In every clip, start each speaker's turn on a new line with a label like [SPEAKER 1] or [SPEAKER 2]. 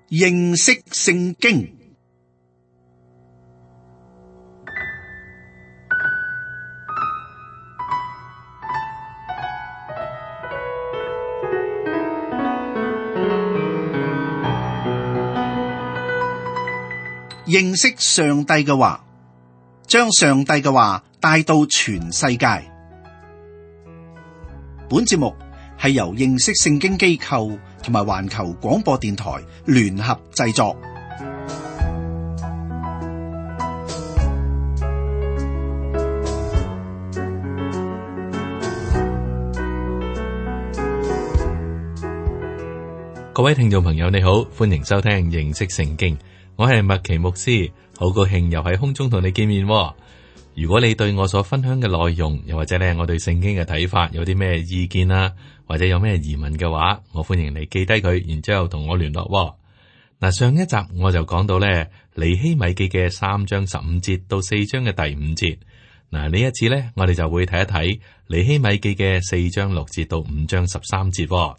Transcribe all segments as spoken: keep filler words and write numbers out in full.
[SPEAKER 1] 認識聖經。認識上帝嘅話，將上帝嘅話帶到全世界。本節目係由認識聖經機構同埋環球廣播電台聯合製作。
[SPEAKER 2] 各位聽眾朋友，你好，歡迎收聽認識聖經。我係麥奇牧師，好高興又喺空中同你見面。如果你對我所分享嘅內容，又或者咧我對聖經嘅睇法有啲咩意見啊，或者有咩疑問嘅話，我歡迎你記低佢，然之後同我聯絡。嗱，上一集我就講到咧尼希米記嘅三章十五節到四章嘅第五節。嗱，呢一次咧，我哋就會睇一睇尼希米記嘅四章六節到五章十三節。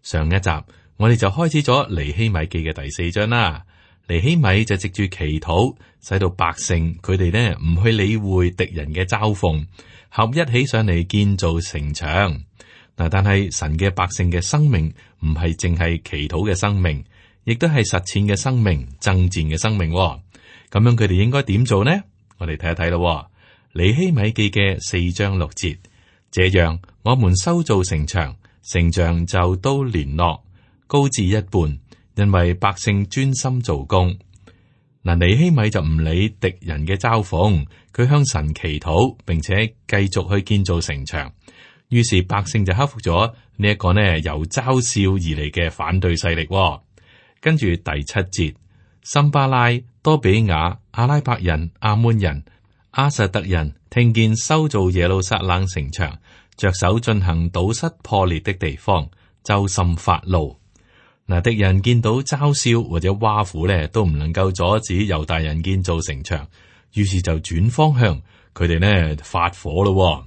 [SPEAKER 2] 上一集我哋就開始咗尼希米記嘅第四章啦。尼希米就藉住祈禱，使到百姓佢哋呢唔去理會敵人嘅嘲諷，合一起上嚟建造城牆。嗱，但係神嘅百姓嘅生命唔係淨係祈禱嘅生命，亦都係實踐嘅生命、爭戰嘅生命。咁樣佢哋應該點做呢？我哋睇一睇咯。尼希米記嘅四章六節，這樣我們修造城牆，城牆就都聯絡，高至一半。因為百姓專心做工，嗱，尼希米就唔理敵人嘅嘲諷，佢向神祈禱，並且繼續去建造城牆。於是百姓就克服咗呢一個呢由嘲笑而嚟嘅反對勢力。跟住第七節，參巴拉、多比雅、阿拉伯人、亞捫人、亞實突人聽見修造耶路撒冷城牆，着手進行堵塞破裂的地方，就甚發怒。嗱，敵人見到嘲笑或者挖苦咧，都唔能夠阻止猶大人建造城牆，於是就轉方向，佢哋呢發火咯。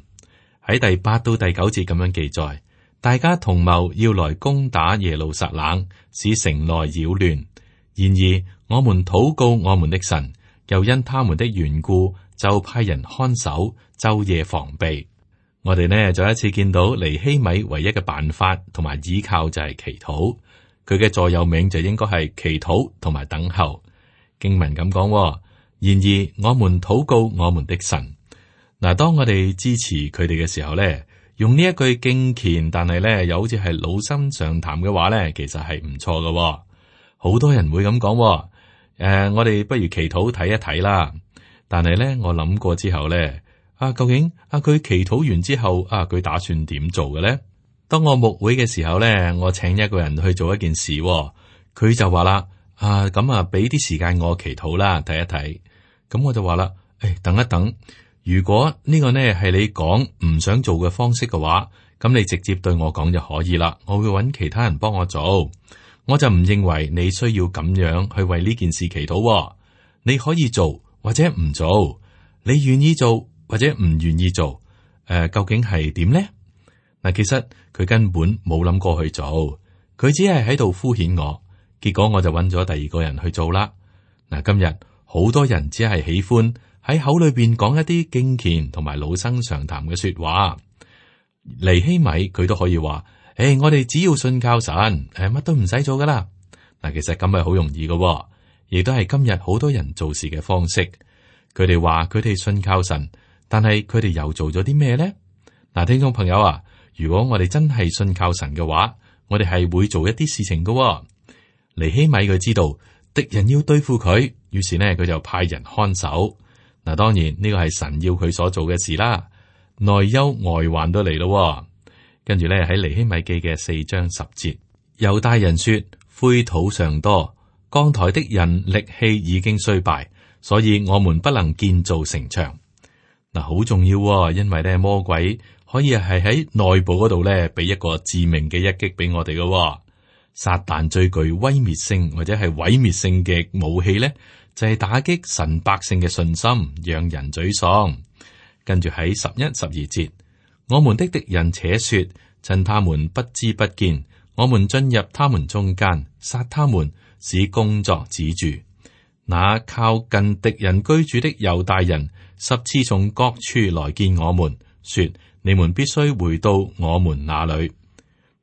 [SPEAKER 2] 喺第八到第九節咁樣記載，大家同謀要來攻打耶路撒冷，使城內擾亂。然而我們禱告我們的神，又因他們的緣故，就派人看守，晝夜防備。我哋呢再一次見到尼希米唯一嘅辦法同埋依靠就係祈禱。佢嘅座右銘就應該係祈禱同埋等候。經文咁講，然而我們禱告我們的神。嗱，當我哋支持佢哋嘅時候咧，用呢一句敬虔，但係咧又好似係老生常談嘅話咧，其實係唔錯嘅。好多人會咁講，誒、呃，我哋不如祈禱睇一睇啦。但係咧，我諗過之後咧，啊，究竟啊佢祈禱完之後啊，佢打算點做嘅咧？當我牧會嘅時候咧，我請一個人去做一件事，佢就話啦，啊咁啊，俾啲時間我祈禱啦，睇一睇。咁我就話啦，誒、哎，等一等，如果呢個呢係你講唔想做嘅方式嘅話，咁你直接對我講就可以啦，我會揾其他人幫我做。我就唔認為你需要咁樣去為呢件事祈禱。你可以做或者唔做，你願意做或者唔願意做，誒、呃，究竟係點呢？嗱，其實佢根本冇諗過去做，佢只係喺度敷衍我，結果我就揾咗第二個人去做啦。嗱，今日好多人只係喜歡喺口裏邊講一啲敬虔同埋老生常談嘅說話。尼希米佢都可以話，誒、欸，我哋只要信靠神，誒，乜都唔使做噶啦。嗱，其實咁係好容易嘅，亦都係今日好多人做事嘅方式。佢哋話佢哋信靠神，但係佢哋又做咗啲咩咧？嗱，聽眾朋友啊，如果我哋真係信靠神嘅話，我哋係會做一啲事情嘅、哦。尼希米佢知道敵人要對付佢，於是呢，佢就派人看守。嗱，當然呢個係神要佢所做嘅事啦。內憂外患都嚟咯。跟住咧喺尼希米記嘅四章十節，猶大人說：灰土尚多，扛抬的人力氣已經衰敗，所以我們不能建造城牆。嗱，好重要、哦，因為咧魔鬼可以係喺內部嗰度咧，俾一個致命嘅一擊俾我哋嘅。撒旦最具威滅性或者係毀滅性嘅武器咧，就係、是、打擊神百姓嘅信心，讓人沮喪。跟住喺十一、十二節，我們的敵人且說，趁他們不知不見，我們進入他們中間，殺他們，使工作止住。那靠近敵人居住的猶大人，十次從各處來見我們，說：你們必須回到我們那裏。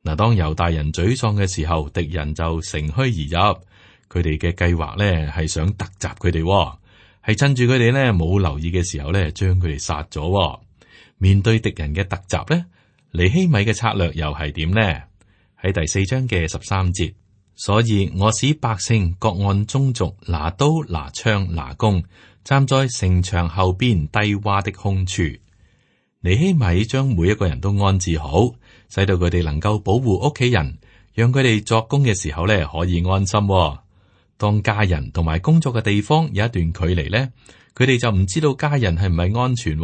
[SPEAKER 2] 嗱，當猶大人沮喪嘅時候，敵人就乘虛而入。佢哋嘅計劃咧係想突襲佢哋，係趁住佢哋咧冇留意嘅時候咧，將佢哋殺咗。面對敵人嘅突襲咧，尼希米嘅策略又係點呢？喺第四章嘅十三節，所以我使百姓各按宗族拿刀拿槍拿弓，站在城牆後邊低洼的空處。尼希米將每一個人都安置好，使到佢哋能夠保護屋企人，讓佢哋作工嘅時候咧可以安心。當家人同埋工作嘅地方有一段距離咧，佢哋就唔知道家人係唔係安全。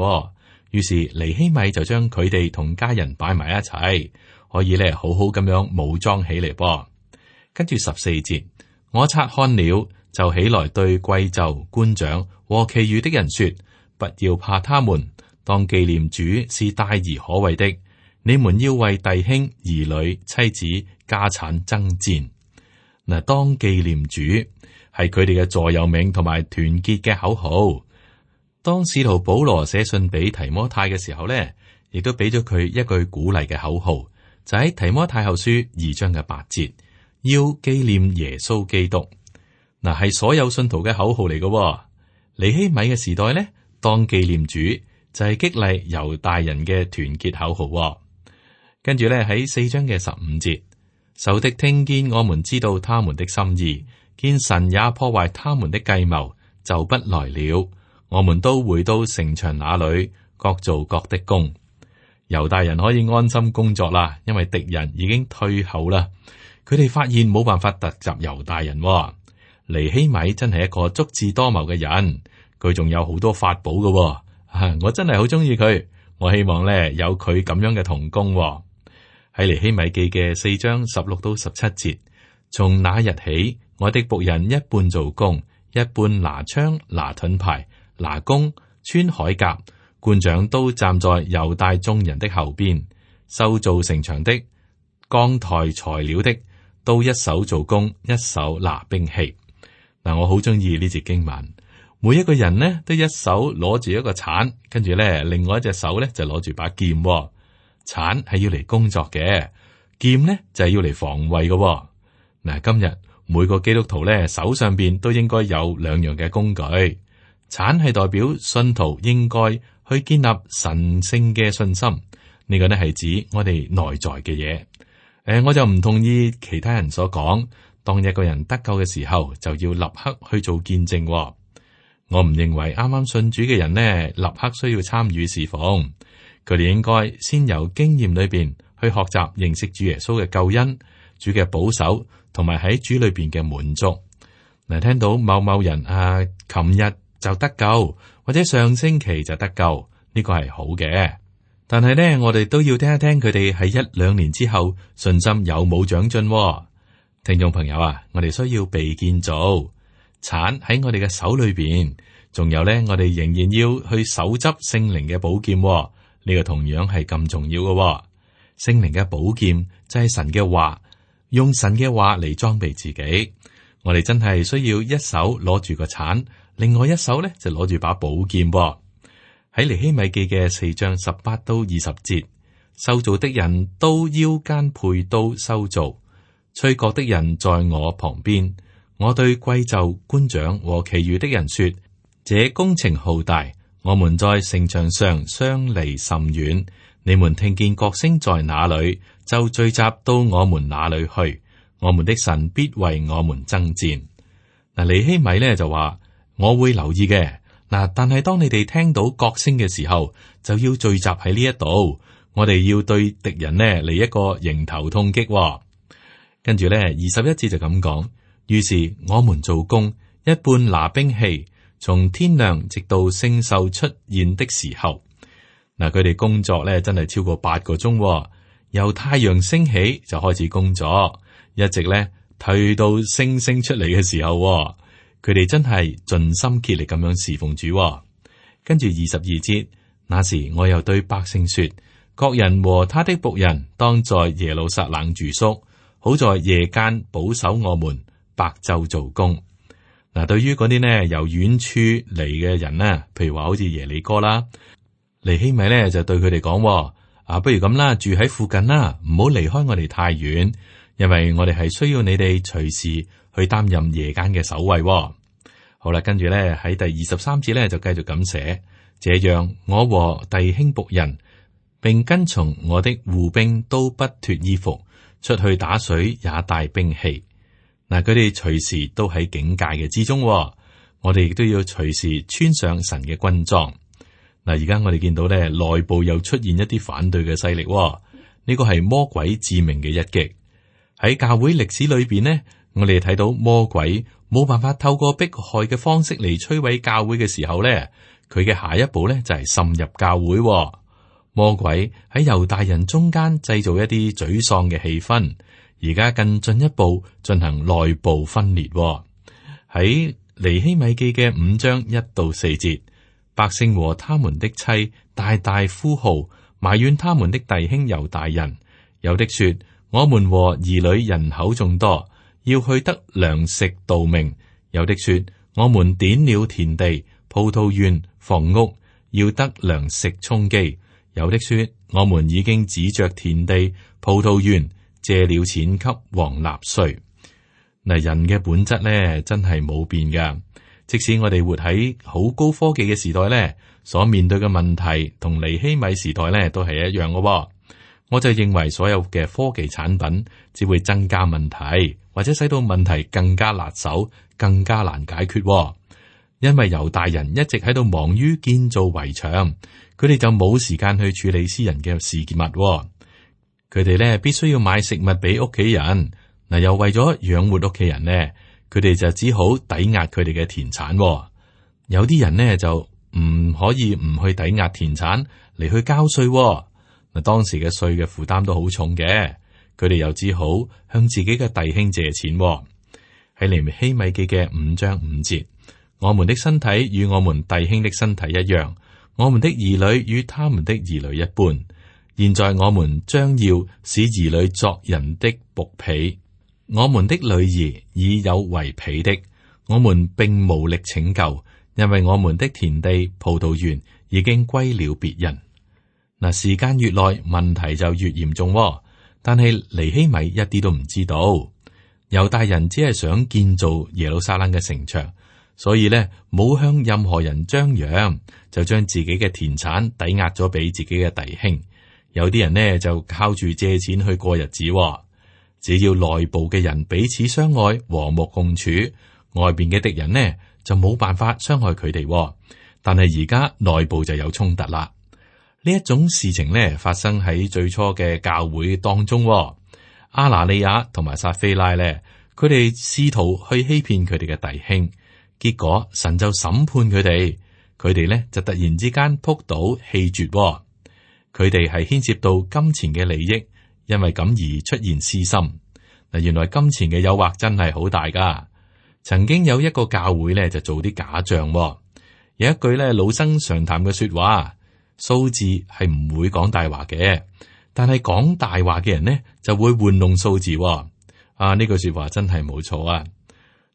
[SPEAKER 2] 於是尼希米就將佢哋同家人擺埋一齊，可以咧好好咁樣武裝起嚟噃。跟住十四節，我察看了，就起來對貴冑官長和其餘的人說：不要怕他們，當紀念主是大而可畏的。你們要為弟兄、兒女、妻子、家產爭戰。嗱，當紀念主係佢哋嘅座右銘同埋團結嘅口號。當使徒保羅寫信俾提摩太嘅時候咧，亦都俾咗佢一句鼓勵嘅口號，就喺提摩太後書二章嘅八節，要紀念耶穌基督。嗱，係所有信徒嘅口號嚟嘅。尼希米嘅時代咧，當紀念主就係激勵猶大人嘅團結口號。跟住咧喺四章嘅十五節，仇敵聽見我們知道他們的心意，見神也破壞他們的計謀，就不來了。我們都回到城牆那裏，各做各的工。猶大人可以安心工作啦，因為敵人已經退後啦。佢哋發現冇辦法突襲猶大人。尼希米真係一個足智多謀嘅人，佢仲有好多法寶嘅。啊，我真係好中意佢，我希望咧有佢咁樣嘅同工。喺尼希米記嘅四章十六到十七節，從那日起，我的僕人一半做工，一半拿槍拿盾牌。拿弓穿鎧甲，官長都站在猶大眾人的後邊，修造城牆的、扛抬材料的，都一手做工，一手拿兵器。嗱，我好中意呢節經文，每一個人呢都一手攞住一個鏟，跟住咧另外一隻手咧就攞住把劍。鏟係要嚟工作嘅，劍呢就係要嚟防衛嘅。嗱，今日每個基督徒咧手上邊都應該有兩樣嘅工具。鏟係代表信徒應該去建立神聖嘅信心，呢個呢係指我哋內在嘅嘢。誒，我就唔同意其他人所講，當一個人得救嘅時候就要立刻去做見證。我唔認為啱啱信主嘅人呢，立刻需要參與侍奉，佢哋應該先由經驗裏邊去學習認識主耶穌嘅救恩、主嘅保守，同埋喺主裏邊嘅滿足。嗱，聽到某某人啊，琴日就得救，或者上星期就得救，呢個係好嘅。但係呢，我哋都要聽一聽佢哋喺一兩年之後信心有冇長進。聽眾朋友啊，我哋需要被建造，鏟喺我哋嘅手裏邊，仲有呢，我哋仍然要去手執聖靈嘅寶劍，呢個同樣係咁重要嘅。聖靈嘅寶劍就係神嘅話，用神嘅話嚟裝備自己。我哋真係需要一手攞住個鏟，另外一手咧就攞住把寶劍。喺尼希米記嘅四章十八到二十節，修造的人都腰間配刀修造，吹角的人在我旁邊。我對貴冑官長和其餘的人說：這工程浩大，我們在城牆上相離甚遠。你們聽見角聲在哪裏，就聚集到我們那裏去。我們的神必為我們爭戰。嗱，尼希米咧就話：我會留意嘅。嗱，但係當你哋聽到角聲嘅時候，就要聚集喺呢一度。我哋要對敵人呢嚟一個迎頭痛擊。跟住咧，二十一節就咁講。於是我們做工，一半拿兵器，從天亮直到星宿出現的時候。嗱，佢哋工作咧真係超過八個鐘，由太陽升起就開始工作。一直咧退到星星出嚟嘅時候，佢哋真係盡心竭力咁樣侍奉主。跟住二十二節，那時我又對百姓說：各人和他的僕人當在耶路撒冷住宿，好在夜間保守我們，白晝做工。嗱，對於嗰啲呢由遠處嚟嘅人呢，譬如話好似耶利哥啦，尼希米呢就對佢哋講：啊，不如咁啦，住喺附近啦，唔好離開我哋太遠，因為我哋係需要你哋隨時去擔任夜間嘅守衛。好啦，跟住咧喺第二十三節咧就繼續咁寫：這樣我和弟兄僕人，並跟從我的護兵都不脫衣服，出去打水也帶兵器。嗱，佢哋隨時都喺警戒嘅之中，我哋亦都要隨時穿上神嘅軍裝。嗱，而家我哋見到咧內部又出現一啲反對嘅勢力，呢個係魔鬼致命嘅一擊。喺教會歷史裏邊呢，我哋睇到魔鬼冇辦法透過迫害嘅方式嚟摧毀教會嘅時候咧，佢嘅下一步咧就係滲入教會。魔鬼喺猶大人中間製造一啲沮喪嘅氣氛，而家更進一步進行內部分裂。喺尼希米記嘅五章一到四節，百姓和他們的妻大大呼號，埋怨他們的弟兄猶大人。有的說：我們和兒女人口眾多，要去得糧食度命。有的說：我們典了田地、葡萄園、房屋，要得糧食充飢。有的說：我們已經指着田地、葡萄園借了錢給王納稅。嗱，人嘅本質咧，真係冇變噶。即使我哋活喺好高科技嘅時代咧，所面對嘅問題同尼希米時代咧都係一樣嘅。我就認為所有嘅科技產品只會增加問題，或者使到問題更加辣手、更加難解決。因為猶大人一直喺度忙於建造圍牆，佢哋就冇時間去處理私人嘅事物。佢哋咧必須要買食物俾屋企人，嗱，又為咗養活屋企人咧，佢哋就只好抵押佢哋嘅田產。有啲人呢，就唔可以唔去抵押田產嚟去交稅。嗱，當時嘅稅嘅負擔都好重嘅，佢哋又只好向自己嘅弟兄借錢。喺尼希米記嘅五章五節，我們的身體與我們弟兄的身體一樣，我們的兒女與他們的兒女一般。現在我們將要使兒女作人的僕婢，我們的女兒已有為婢的，我們並無力拯救，因為我們的田地、葡萄園已經歸了別人。嗱，時間越耐，問題就越嚴重。但係尼希米一啲都唔知道，猶大人只係想建造耶路撒冷嘅城牆，所以咧冇向任何人張揚，就將自己嘅田產抵押咗俾自己嘅弟兄。有啲人呢，就靠住借錢去過日子。只要內部嘅人彼此相愛、和睦共處，外邊嘅敵人呢就冇辦法傷害佢哋。但係而家內部就有衝突啦。呢一種事情呢，發生喺最初嘅教會當中。阿拿利亞同埋撒非拉呢，佢哋試圖去欺騙佢哋嘅弟兄，結果神就審判佢哋，佢哋呢就突然之間撲倒氣絕。佢哋係牽涉到金錢嘅利益，因為咁而出現私心。嗱，原來金錢嘅誘惑真係好大噶。曾經有一個教會咧，就做啲假賬。有一句咧老生常談嘅說話，數字係唔會講大話嘅，但係講大話嘅人呢就會玩弄數字。啊，呢句說話真係冇錯啊！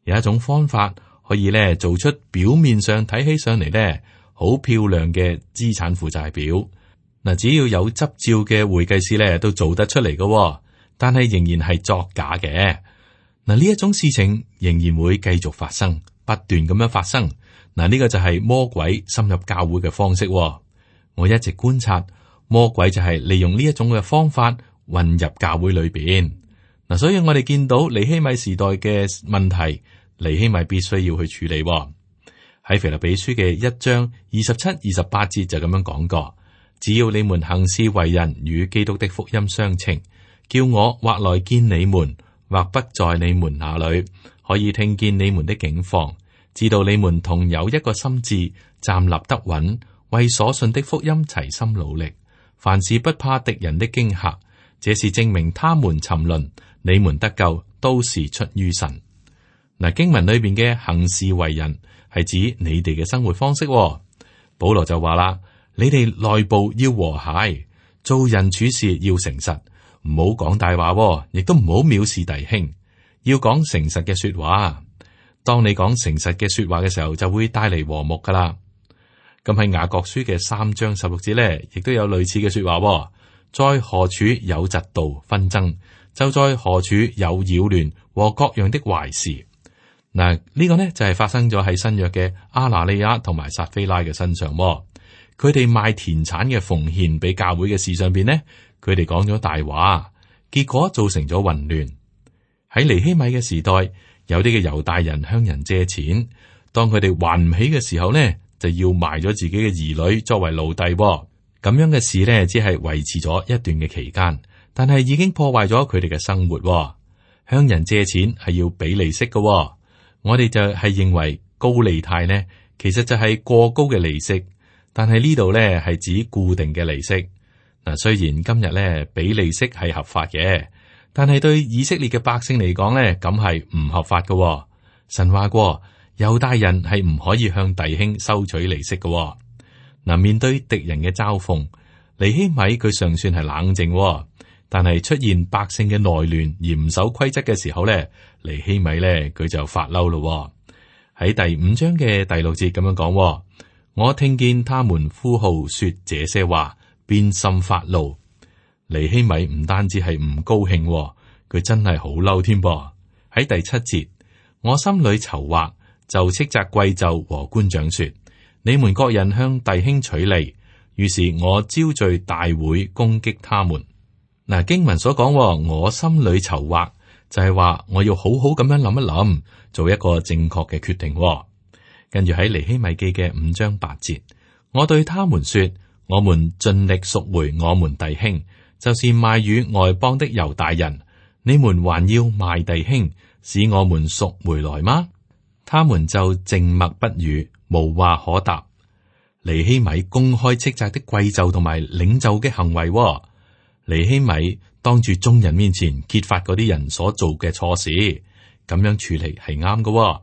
[SPEAKER 2] 有一種方法可以咧做出表面上睇起上嚟咧好漂亮嘅資產負債表。嗱，只要有執照嘅會計師咧，都做得出嚟嘅，但係仍然係作假嘅。嗱，呢一種事情仍然會繼續發生，不斷咁樣發生。嗱，呢個就係魔鬼深入教會嘅方式。我一直觀察，魔鬼就係利用呢一種嘅方法混入教會裏邊。嗱，所以我哋見到尼希米時代嘅問題，尼希米必須要去處理。喺腓立比書嘅一章二十七、二十八節就咁樣講過。只要你們行事為人與基督的福音相稱，叫我或來見你們，或不在你們那裏，可以聽見你們的境況，知道你們同有一個心志，站立得穩，為所信的福音齊心努力，凡事不怕敵人的驚嚇，這是證明他們沉淪，你們得救都是出於神。嗱，經文裏邊嘅行事為人係指你哋嘅生活方式。保羅就話啦。你哋內部要和諧，做人處事要誠實，唔好講大話，亦都唔好藐視弟兄，要講誠實嘅說話。當你講誠實嘅說話嘅時候，就會帶嚟和睦噶啦。咁喺雅各書嘅三章十六節咧，亦都有類似嘅說話。在何處有嫉妒紛爭，就在何處有擾亂和各樣的壞事。嗱，呢個呢就係發生咗喺新約嘅亞拿尼亞同埋撒非拉嘅身上。佢哋賣田產嘅奉獻俾教會嘅事上邊呢，佢哋講咗大話，結果造成咗混亂。喺尼希米嘅時代，有啲嘅猶大人向人借錢，當佢哋還唔起嘅時候呢，就要賣咗自己嘅兒女作為奴隸。咁樣嘅事呢，只係維持咗一段嘅期間，但係已經破壞咗佢哋嘅生活。向人借錢係要俾利息嘅，我哋就係認為高利貸呢，其實就係過高嘅利息，但係呢度呢係指固定嘅利息。嗱，雖然今日呢俾利息係合法嘅，但係對以色列嘅百姓嚟講呢，咁係唔合法嘅。神話過，猶大人係唔可以向弟兄收取利息嘅。嗱，面對敵人嘅嘲諷，尼希米佢尚算係冷靜，但係出現百姓嘅內亂而唔守規則嘅時候咧，尼希米咧佢就發嬲咯。喺第五章嘅第六節咁樣講，我聽見他們呼號說這些話，便甚發怒。尼希米唔單止係唔高興，佢真係好嬲添噃。喺第七節，我心裏籌劃，就斥責貴胄和官長說。你們各人向弟兄取利，於是我招聚大會攻擊他們。嗱，經文所講，我心裏籌劃，就係話我要好好咁樣諗一諗，做一個正確嘅決定。跟住喺尼希米記嘅五章八節，我對他們說：我們盡力贖回我們弟兄，就是賣與外邦的猶大人。你們還要賣弟兄，使我們贖回來嗎？他們就靜默不語。無話可答。尼希米公開斥責的貴胄同埋領袖嘅行為。尼希米當住眾人面前揭發嗰啲人所做嘅錯事，咁樣處理係啱嘅。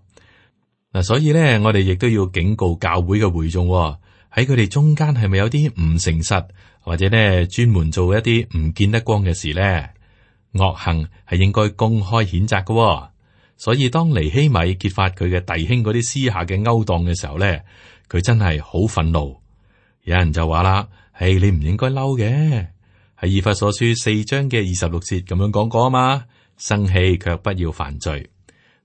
[SPEAKER 2] 嗱，所以咧，我哋亦都要警告教會嘅會眾，喺佢哋中間係咪有啲唔誠實，或者咧專門做一啲唔見得光嘅事咧？惡行係應該公開譴責嘅。所以當尼希米揭發佢嘅弟兄嗰啲私下嘅勾當嘅時候咧，佢真係好憤怒。有人就話啦：係你唔應該嬲嘅。喺以弗所書四章嘅二十六節咁樣講過啊嘛，生氣卻不要犯罪。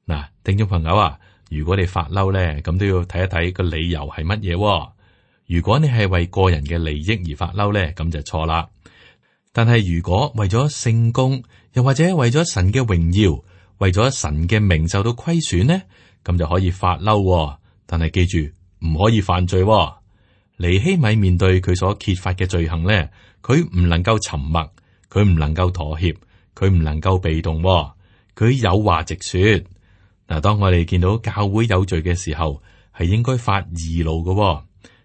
[SPEAKER 2] 嗱，聽眾朋友啊，如果你發嬲咧，咁都要睇一睇個理由係乜嘢。如果你係為個人嘅利益而發嬲咧，咁就錯啦。但係如果為咗聖工，又或者為咗神嘅榮耀，為咗神嘅名受到虧損呢，咁就可以發嬲。但係記住唔可以犯罪。尼希米面對佢所揭發嘅罪行呢，佢唔能夠沉默，佢唔能夠妥協，佢唔能夠被動，佢有話直說。嗱，當我哋見到教會有罪嘅時候，係應該發義怒嘅，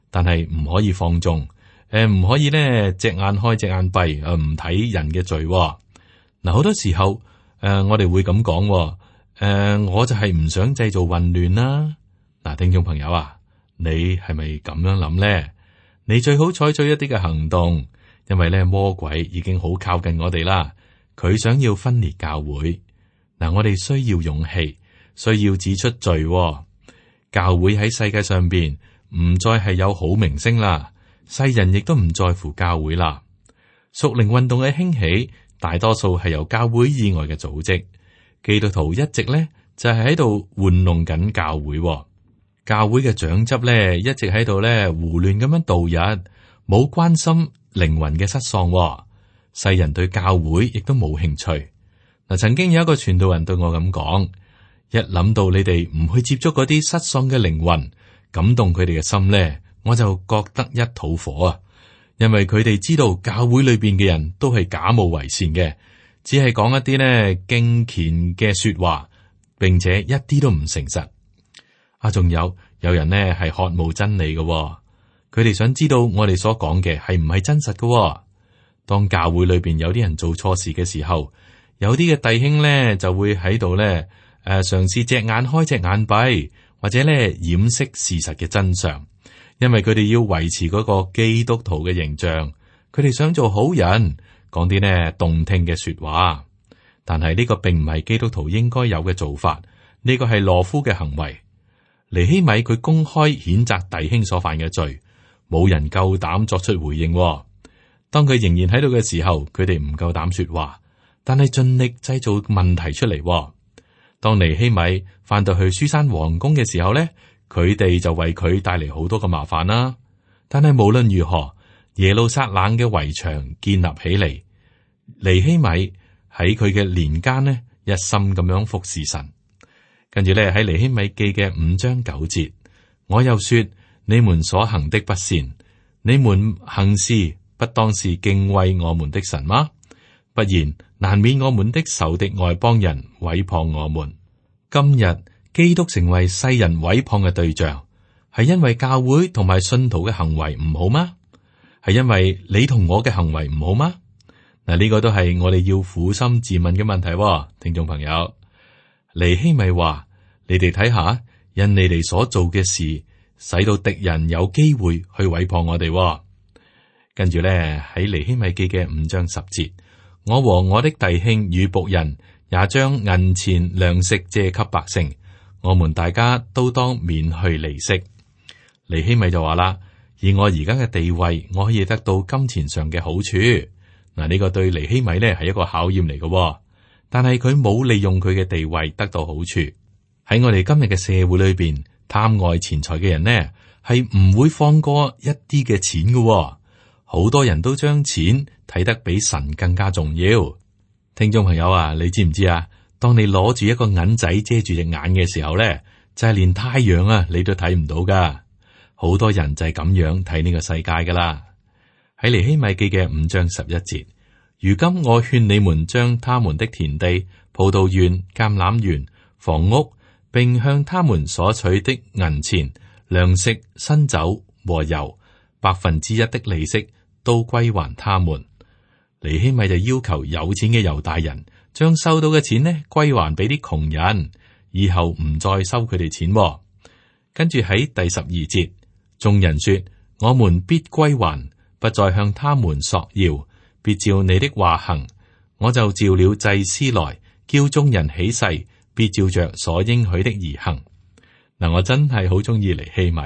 [SPEAKER 2] 但係唔可以放縱，誒唔可以呢隻眼開隻眼閉，誒唔睇人嘅罪。嗱，好多時候。誒、呃，我哋會咁講，誒、呃，我就係唔想製造混亂啦。嗱，聽眾朋友啊，你係咪咁樣諗咧？你最好採取一啲嘅行動，因為咧魔鬼已經好靠近我哋啦。佢想要分裂教會。嗱，我哋需要勇氣，需要指出罪。教會喺世界上邊唔再係有好名聲啦，世人亦都唔在乎教會啦。屬靈運動嘅興起。大多數係由教會以外嘅組織，基督徒一直咧就係喺度玩弄緊教會。教會嘅長執咧一直喺度咧胡亂咁樣度日，冇關心靈魂嘅失喪。世人對教會亦都冇興趣。嗱，曾經有一個傳道人對我咁講：一諗到你哋唔去接觸嗰啲失喪嘅靈魂，感動佢哋嘅心咧，我就覺得一肚火啊！因為佢哋知道教會裏邊嘅人都係假冒為善嘅，只係講一啲呢敬虔嘅說話，並且一啲都唔誠實。啊，仲有有人呢係渴慕真理嘅，佢哋想知道我哋所講嘅係唔係真實嘅。當教會裏邊有啲人做錯事嘅時候，有啲嘅弟兄呢就會喺度呢誒嘗試隻眼開隻眼閉，或者呢掩飾事實嘅真相。因為佢哋要維持嗰個基督徒嘅形象，佢哋想做好人，講啲呢動聽嘅說話。但係呢個並唔係基督徒應該有嘅做法，呢個係羅夫嘅行為。尼希米佢公開譴責弟兄所犯嘅罪，冇人夠膽作出回應。當佢仍然喺度嘅時候，佢哋唔夠膽說話，但係盡力製造問題出嚟。當尼希米翻到去書珊皇宮嘅時候咧，佢哋就為佢帶嚟好多嘅麻煩啦。但係無論如何，耶路撒冷嘅圍牆建立起嚟，尼希米喺佢嘅年間呢，一心咁樣服侍神。跟住咧喺尼希米記嘅五章九節，我又說：你們所行的不善，你們行事不當是敬畏我們的神嗎？不然，難免我們的仇敵外邦人毀謗我們。今日基督成為世人毀謗嘅對象，係因為教會同埋信徒嘅行為唔好嗎？係因為你同我嘅行為唔好嗎？嗱，呢個都係我哋要苦心自問嘅問題。聽眾朋友，尼希米話：你哋睇下，因你哋所做嘅事，使到敵人有機會去毀謗我哋。跟住咧喺尼希米記嘅五章十節，我和我的弟兄與僕人也將銀錢糧食借給百姓，我們大家都當免去利息。尼希米就話啦：以我而家嘅地位，我可以得到金錢上嘅好處。嗱，呢個對尼希米呢係一個考驗嚟嘅，但係佢冇利用佢嘅地位得到好處。喺我哋今日嘅社會裏邊，貪愛錢財嘅人呢係唔會放過一啲嘅錢嘅。好多人都將錢睇得比神更加重要。聽眾朋友啊，你知唔知啊？當你攞住一個銀仔遮住隻眼嘅時候咧，就係連太陽啊你都睇唔到噶。好多人就係咁樣睇呢個世界噶啦。喺尼希米記嘅五章十一節，如今我勸你們將他們的田地、葡萄園、橄欖園、房屋，並向他們所取的銀錢、糧食、新酒和油，百分之一的利息都歸還他們。尼希米就要求有錢嘅猶大人將收到嘅錢呢歸還俾啲窮人，以後唔再收佢哋錢。跟住喺第十二節，眾人說：我們必歸還，不再向他們索要，必照你的話行。我就召了祭司來，叫眾人起誓，必照着所應許的而行。嗱，我真係好中意尼希米，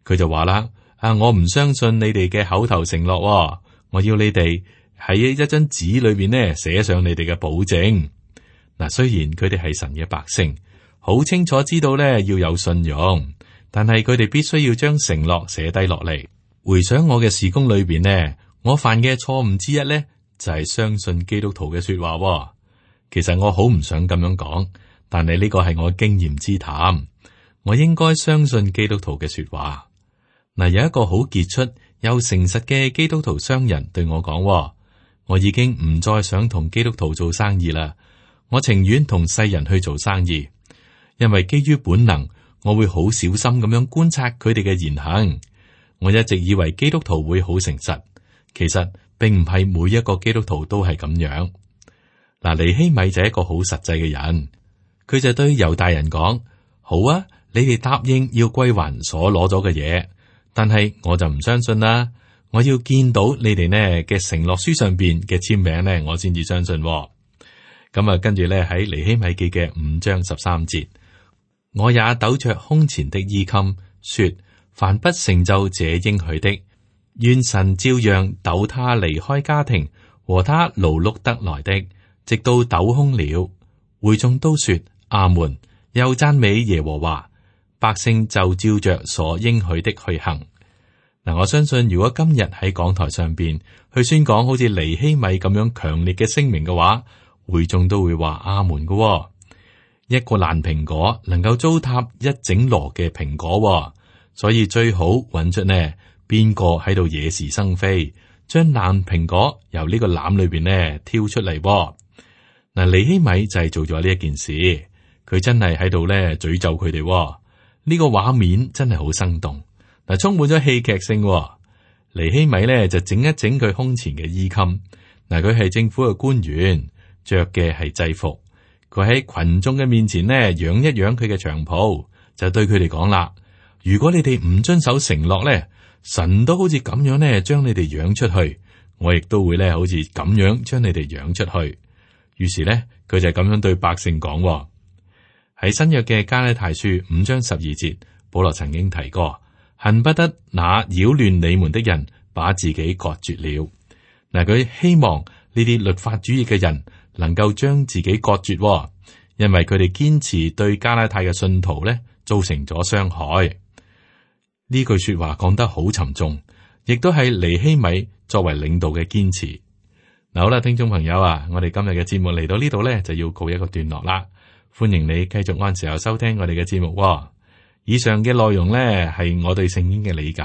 [SPEAKER 2] 佢就話啦：啊，我唔相信你哋嘅口頭承諾，我要你哋喺一張紙裏邊呢寫上你哋嘅保證。嗱，雖然佢哋係神嘅百姓，好清楚知道呢要有信用，但係佢哋必須要將承諾寫低落嚟。回想我嘅事工裏邊呢，我犯嘅錯誤之一呢，就係相信基督徒嘅說話。其實我好唔想咁樣講，但係呢個係我經驗之談。我應該相信基督徒嘅說話。嗱，有一個好傑出又誠實嘅基督徒商人對我講：我已經唔再想同基督徒做生意啦，我情願同世人去做生意，因為基於本能，我會好小心咁樣觀察佢哋嘅言行。我一直以為基督徒會好誠實，其實並唔係每一個基督徒都係咁樣。嗱，尼希米就係一個好實際嘅人，佢就對猶大人講：好啊，你哋答應要歸還所攞咗嘅嘢，但係我就唔相信啦。我要見到你哋呢嘅承諾書上邊嘅簽名呢，我先至相信。咁啊，跟住咧喺尼希米記嘅五章十三節，我也抖着胸前的衣襟，說：凡不成就這應許的，願神照樣抖他離開家庭和他勞碌得來的，直到抖空了。會眾都說阿門，又讚美耶和華，百姓就照着所應許的去行。嗱，我相信如果今日喺講台上邊去宣講好似尼希米咁樣強烈嘅聲明嘅話，會眾都會話阿門嘅、哦。一個爛蘋果能夠糟蹋一整籮嘅蘋果、哦，所以最好揾出呢邊個喺度惹是生非，將爛蘋果由呢個籃裏邊呢挑出嚟、哦。嗱，尼希米就係做咗呢一件事，佢真係喺度咧詛咒佢哋。呢、這個畫面真係好生動。嗱，充滿咗戲劇性、哦。尼希米咧就整一整佢胸前嘅衣襟。嗱，佢係政府嘅官員，着嘅係制服。佢喺群眾嘅面前呢，揚一揚佢嘅長袍，就對佢哋講啦：如果你哋唔遵守承諾咧，神都好似咁樣呢，將你哋揚出去，我亦都會咧好似咁樣將你哋養出去。於是咧，佢就咁樣對百姓講喎。喺新約嘅加拉太書五章十二節，保羅曾經提過，恨不得那擾亂你們的人把自己割絕了。嗱，佢希望呢啲律法主義嘅人能夠將自己割絕喎，因為佢哋堅持對加拉太嘅信徒咧造成咗傷害。呢句說話講得好沉重，亦都係尼希米作為領導嘅堅持。嗱，好啦，聽眾朋友啊，我哋今日嘅節目嚟到呢度咧，就要告一個段落啦。歡迎你繼續按時候收聽我哋嘅節目喎。以上嘅內容咧係我對聖經嘅理解。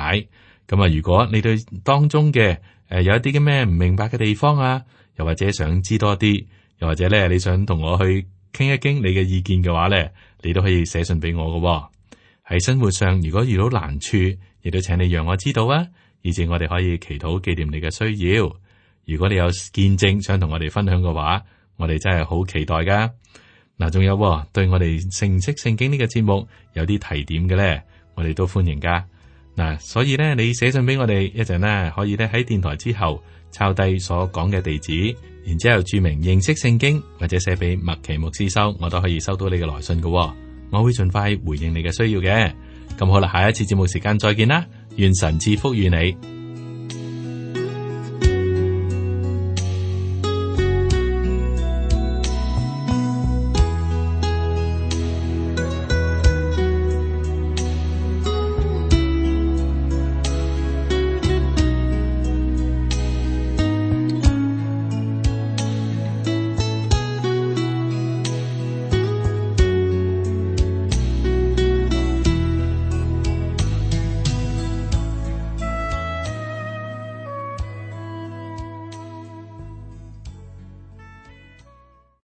[SPEAKER 2] 咁啊，如果你對當中嘅誒有一啲嘅咩唔明白嘅地方啊，又或者想知多啲，又或者咧你想同我去傾一傾你嘅意見嘅話咧，你都可以寫信俾我㗎喎。喺生活上，如果遇到難處，亦都請你讓我知道啊，以至我哋可以祈禱紀念你嘅需要。如果你有見證想同我哋分享嘅話，我哋真係好期待噶。嗱，仲有對我哋認識聖經呢個節目有啲提點嘅咧，我哋都歡迎噶。嗱，所以咧，你寫信俾我哋一陣咧，可以咧喺電台之後抄低所講嘅地址，然之後注明認識聖經，或者寫俾麥奇牧師收，我都可以收到你嘅來信噶。我會盡快回應你嘅需要嘅。咁好啦，下一次節目時間再見啦，願神賜福與你。